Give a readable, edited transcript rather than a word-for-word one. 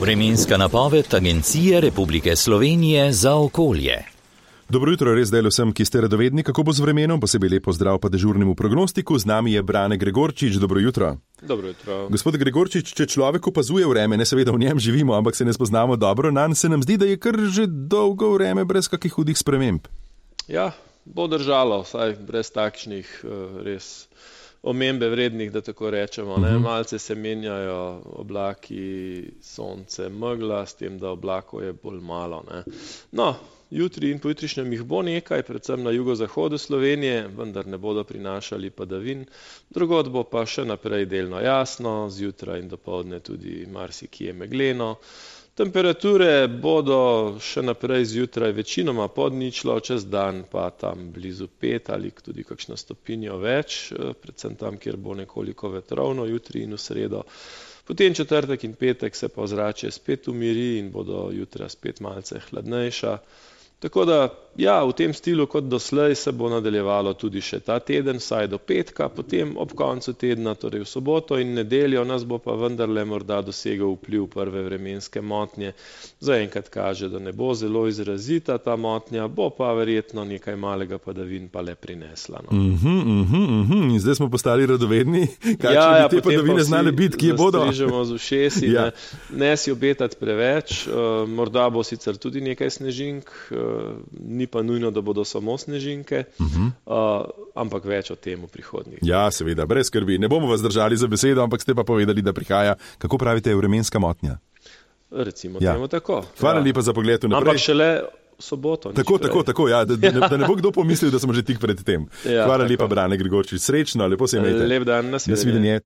Vremenska napoved Agencije Republike Slovenije za okolje. Dobro jutro, res zdaj vsem, ki ste radovedni, kako bo z vremenom, posebej lep pozdrav pa dežurnemu prognostiku. Z nami je Brane Gregorčič, dobro jutro. Dobro jutro. Gospod Gregorčič, če človek opazuje vreme, ne seveda v njem živimo, ampak se ne spoznamo dobro, nanj se nam zdi, da je kar že dolgo vreme brez kakih hudih sprememb. Ja, bo držalo, vsaj brez takšnih res omembe vrednih, da tako rečemo. Malce se menjajo oblaki, sonce, megla, s tem, da oblakov je bolj malo. No, jutri in pojutrišnjem jih bo nekaj, predvsem na jugozahodu Slovenije, vendar ne bodo prinašali padavin. Drugod bo pa še naprej delno jasno, zjutraj in dopoldne tudi marsikje megleno. Temperature bodo še naprej zjutraj večinoma pod ničlo, čez dan pa tam blizu 5 ali tudi kakšno stopinjo več, predvsem tam, kjer bo nekoliko vetrovno jutri in v sredo. Potem četrtek in petek se pa ozračje spet umiri in bodo jutra spet malce hladnejša. Tako da, ja, v tem stilu kot doslej se bo nadaljevalo tudi še ta teden, vsaj do petka, potem ob koncu tedna, torej v soboto in nedeljo, nas bo pa vendarle morda dosegel vpliv prve vremenske motnje. Zaenkrat kaže, da ne bo zelo izrazita ta motnja, bo pa verjetno nekaj malega padavin pa le prinesla. No. In zdaj smo postali radovedni, kakšne bi te padavine znale biti, kje bodo? Strižemo z ušesi, ne si obetati preveč, morda bo sicer tudi nekaj snežink, ni pa nujno, da bodo samo snežinke, ampak več o tem v prihodnjih. Ja, seveda, brez skrbi. Ne bomo vas držali za besedo, ampak ste pa povedali, da prihaja, kako pravite, vremenska motnja. Recimo temu tako. Hvala lepa za pogled naprej. Ampak šele v soboto. Tako, ja, da ne bo kdo pomislil, da smo že tik pred tem. Hvala lepa, Brane Gregorčič. Srečno, lepo se imejte. Lep dan, nasvidenje.